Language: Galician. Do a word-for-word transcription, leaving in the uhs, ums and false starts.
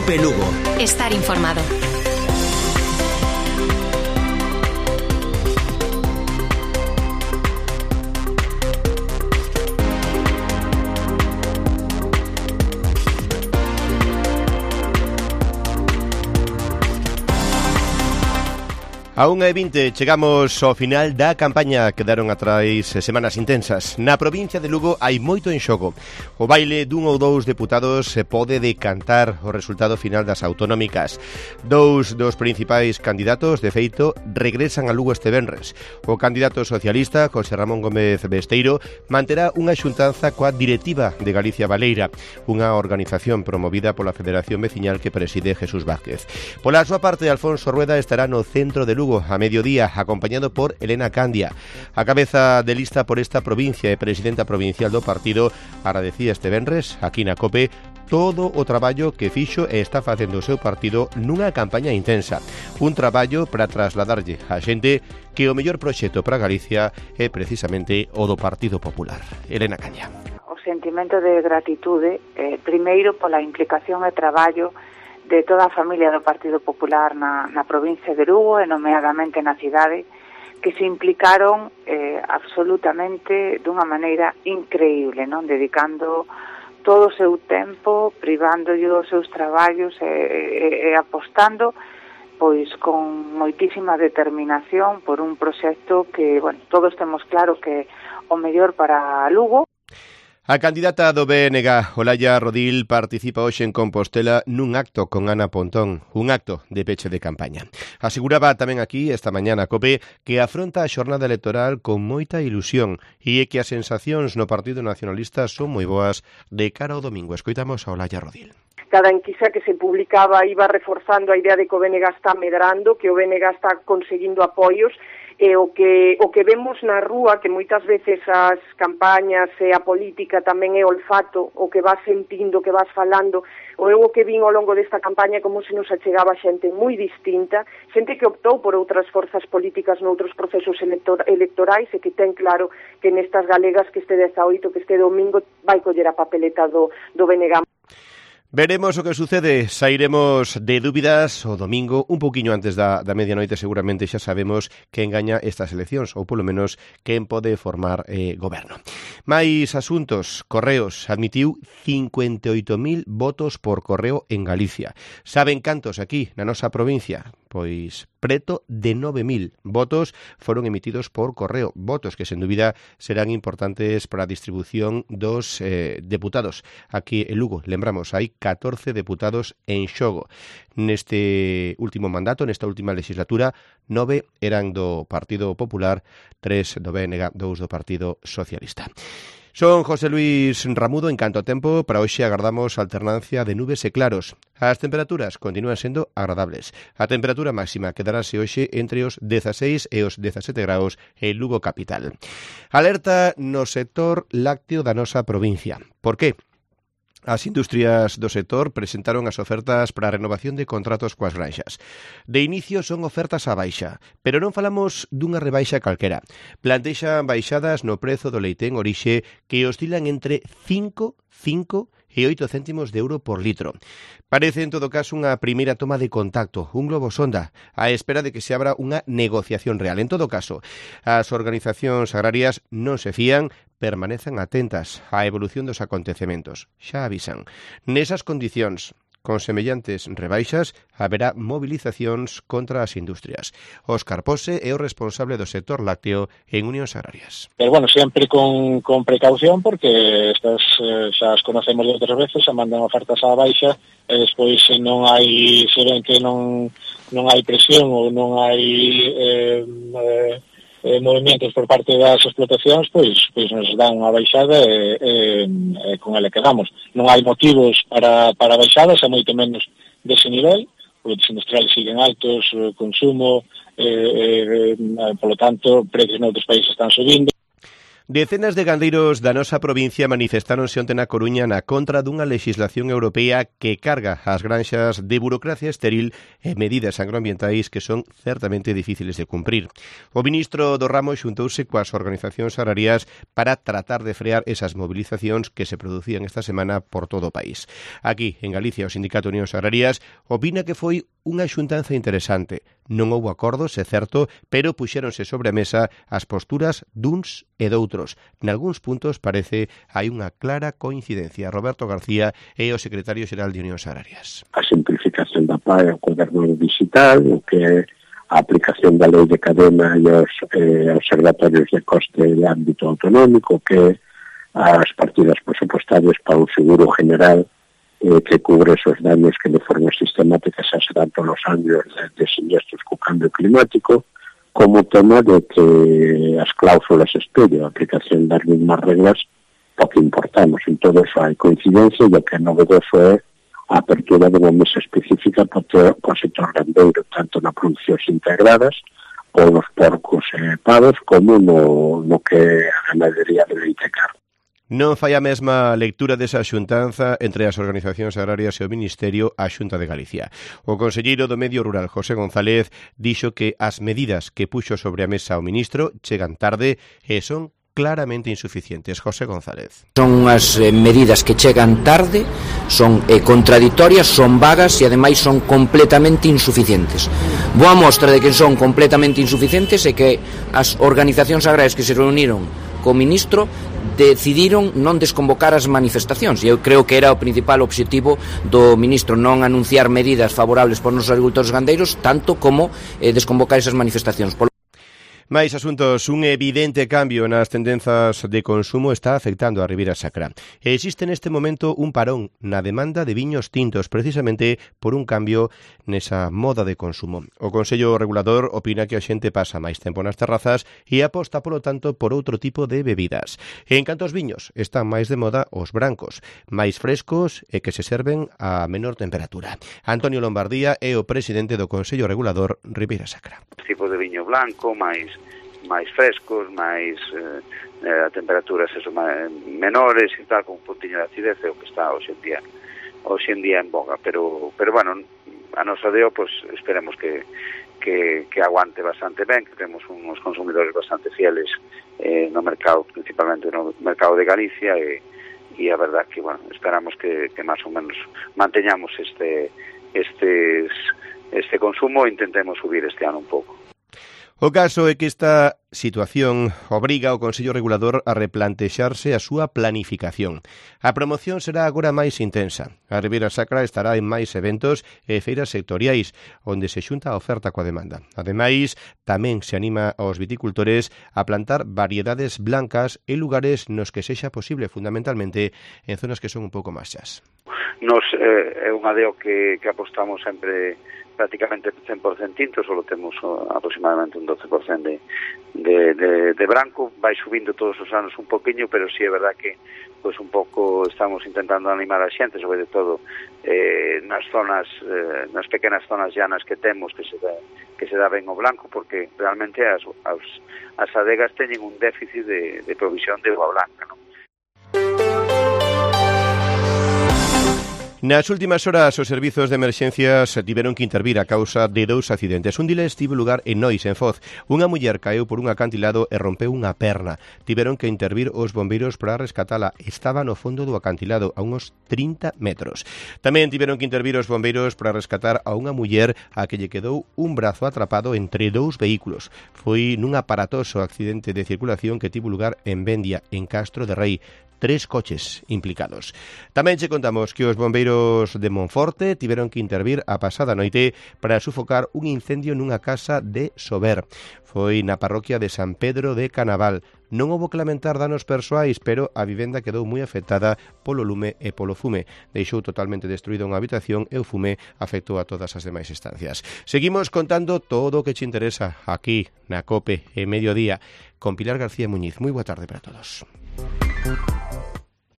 COPE Lugo. Estar informado. A unha e vinte chegamos ao final da campaña. Quedaron atrás semanas intensas. Na provincia de Lugo hai moito en xogo. O baile dun ou dous deputados se pode decantar o resultado final das autonómicas. Dous dos principais candidatos, de feito, regresan a Lugo este venres. O candidato socialista, José Ramón Gómez Besteiro, manterá unha xuntanza coa directiva de Galicia Baleira, unha organización promovida pola Federación Veciñal que preside Jesús Vázquez. Pola súa parte, Alfonso Rueda estará no centro de Lugo a mediodía, acompañado por Elena Candia. A cabeza de lista por esta provincia e presidenta provincial do partido agradecía este venres, aquí na COPE, todo o traballo que fixo e está facendo o seu partido nunha campaña intensa. Un traballo para trasladarlle a xente que o mellor proxecto para Galicia é precisamente o do Partido Popular. Elena Candia. O sentimento de gratitude, eh, primeiro pola implicación e traballo de toda a familia do Partido Popular na, na provincia de Lugo e nomeadamente na cidade, que se implicaron eh, absolutamente dunha maneira increíble, non? Dedicando todo o seu tempo, privándolle os seus traballos e, e, e apostando pois con moitísima determinación por un proxecto que, bueno, todos temos claro que o mellor para Lugo. A candidata do B N G, Olaya Rodil, participa hoxe en Compostela nun acto con Ana Pontón, un acto de peche de campaña. Aseguraba tamén aquí, esta mañana, COPE, que afronta a xornada electoral con moita ilusión e que as sensacións no Partido Nacionalista son moi boas de cara ao domingo. Escoitamos a Olaya Rodil. Cada enquisa que se publicaba iba reforzando a idea de que o B N G está medrando, que o B N G está conseguindo apoios, e o que o que vemos na rúa, que moitas veces as campañas e a política tamén é olfato, o que vas sentindo, que vas falando, o eu o que vin ao longo desta campaña como se nos achegaba xente moi distinta, xente que optou por outras forzas políticas noutros procesos elector- electorais e que ten claro que nestas galegas que este dezaoito, que este domingo vai coller a papeleta do, do B N G. Veremos o que sucede, sairemos de dúbidas o domingo, un poquinho antes da, da medianoite, seguramente xa sabemos quen gaña estas eleccións, ou polo menos quen pode formar eh, goberno. Mais asuntos, Correos admitiu cincuenta e oito mil votos por correo en Galicia. Saben cantos aquí, na nosa provincia? Pois preto de nove mil votos foron emitidos por correo, votos que sen dúbida serán importantes para a distribución dos eh, deputados. Aquí en Lugo, lembramos, hai catorce deputados en xogo. Neste último mandato, nesta última legislatura, nove eran do Partido Popular, tres do B N G, dous do Partido Socialista. Son José Luis Ramudo. En canto a tempo, para hoxe agardamos alternancia de nubes e claros. As temperaturas continúan sendo agradables. A temperatura máxima quedarase hoxe entre os dezaseis e os dezasete graus en Lugo capital. Alerta no sector lácteo da nosa provincia. Por que? As industrias do sector presentaron as ofertas para a renovación de contratos coas granxas. De inicio son ofertas á baixa, pero non falamos dunha rebaixa calquera. Plantexan baixadas no prezo do leite en orixe que oscilan entre cinco, cinco e oito céntimos de euro por litro. Parece, en todo caso, unha primeira toma de contacto, un globo sonda, á espera de que se abra unha negociación real. En todo caso, as organizacións agrarias non se fían, permanecen atentas á evolución dos acontecementos. Xa avisan. Nesas condicións, con semellantes rebaixas, haberá movilizacións contra as industrias. Óscar Pose é o responsable do sector lácteo en Unións Agrarias. Pero, bueno, sempre con, con precaución, porque estas eh, xa as conocemos de outras veces, se mandan ofertas á baixa, e despois se non hai, se ven que non, non hai presión ou non hai eh, eh, eh, movimentos por parte das explotacións, pois, pois nos dan unha baixada e, e, e con ela quedamos. Non hai motivos para, para baixadas, é moito menos dese nivel, produtos industriales siguen altos, consumo, eh, eh, polo tanto, precios noutros países están subindo. Decenas de gandeiros da nosa provincia manifestáronse onte na Coruña na contra dunha legislación europea que carga as granxas de burocracia estéril e medidas agroambientais que son certamente difíciles de cumprir. O ministro do ramo xuntouse coas organizacións agrarias para tratar de frear esas movilizacións que se producían esta semana por todo o país. Aquí, en Galicia, o Sindicato Unións Agrarias opina que foi unha xuntanza interesante. Non houbo acordos, é certo, pero puxéronse sobre a mesa as posturas duns e doutros. Nalgúns puntos parece hai unha clara coincidencia. Roberto García é o secretario xeral de Unións Agrarias. A simplificación da P A E, o goberno digital, o que é a aplicación da lei de cadena e os eh, observatorios de coste de ámbito autonómico, que as partidas presupuestarias para un seguro general eh, que cubre esos daños que de forma sistemática se dan todos los años de, de siniestros co cambio climático, como tema de que as cláusulas espello, a aplicación das mismas reglas, o que importamos. En todo eso hai coincidencia e o que é novedoso é a apertura de unha mesa específica para o sector gandeiro, tanto na producións integradas, ou nos porcos e pavos, como no, no que é a ganadería de leite e carne. Non fai a mesma lectura desa xuntanza entre as organizacións agrarias e o Ministerio a Xunta de Galicia. O conselleiro do Medio Rural, José González, dixo que as medidas que puxo sobre a mesa o ministro chegan tarde e son claramente insuficientes. José González. Son unhas eh, medidas que chegan tarde, son eh, contradictorias, son vagas e ademais son completamente insuficientes. Boa mostra de que son completamente insuficientes é que as organizacións agrarias que se reuniron co ministro decidiron non desconvocar as manifestacións. E eu creo que era o principal obxectivo do ministro, non anunciar medidas favorables por nos agricultores gandeiros, tanto como eh, desconvocar esas manifestacións. Por Mais asuntos, un evidente cambio nas tendenzas de consumo está afectando a Ribeira Sacra. Existe neste momento un parón na demanda de viños tintos, precisamente por un cambio nesa moda de consumo. O Consello Regulador opina que a xente pasa máis tempo nas terrazas e aposta, polo tanto, por outro tipo de bebidas. En canto aos viños, están máis de moda os brancos, máis frescos e que se serven a menor temperatura. Antonio Lombardía é o presidente do Consello Regulador Ribeira Sacra. Tipo de viño blanco, máis máis frescos, máis eh, a temperaturas eso, máis, menores e tal, con un puntiño de acidez, é o que está hoxe en día hoxe en día en boga, pero pero bueno, a nosa deo, pues esperemos que que, que aguante bastante ben, que temos uns consumidores bastante fieles eh, no mercado, principalmente no mercado de Galicia, e, e a verdad que, bueno, esperamos que, que máis ou menos manteñamos este estes este consumo e intentemos subir este ano un pouco. O caso é que esta situación obriga ao Consello Regulador a replantexarse a súa planificación. A promoción será agora máis intensa. A Ribeira Sacra estará en máis eventos e feiras sectoriais, onde se xunta a oferta coa demanda. Ademais, tamén se anima aos viticultores a plantar variedades blancas en lugares nos que sexa posible, fundamentalmente en zonas que son un pouco máis chas. Nos eh, é un adeo que, que apostamos sempre prácticamente cen por cento tinto, solo temos aproximadamente un doce por cento de, de, de, de branco, vai subindo todos os anos un poquinho, pero sí é verdad que pues un pouco estamos intentando animar a xente, sobre todo eh, nas zonas, eh, nas pequenas zonas llanas que temos, que se dá, que se dá ben o blanco, porque realmente as, as, as adegas teñen un déficit de, de provisión de uva blanca, non? Nas últimas horas, os servizos de emerxencias tiveron que intervir a causa de dous accidentes. Un diles tivo lugar en Nois, en Foz. Unha muller caeu por un acantilado e rompeu unha perna. Tiveron que intervir os bombeiros para rescatala. Estaba no fondo do acantilado, a uns trinta metros. Tamén tiveron que intervir os bombeiros para rescatar a unha muller a que lle quedou un brazo atrapado entre dous vehículos. Foi nun aparatoso accidente de circulación que tivo lugar en Vendia, en Castro de Rei. Tres coches implicados. Tamén che contamos que os bombeiros de Monforte tiveron que intervir a pasada noite para sufocar un incendio nunha casa de Sober. Foi na parroquia de San Pedro de Canaval. Non houbo que lamentar danos persoais, pero a vivenda quedou moi afectada polo lume e polo fume. Deixou totalmente destruída unha habitación e o fume afectou a todas as demais estancias. Seguimos contando todo o que che interesa aquí na COPE e Mediodía con Pilar García Muñiz. Moi boa tarde para todos.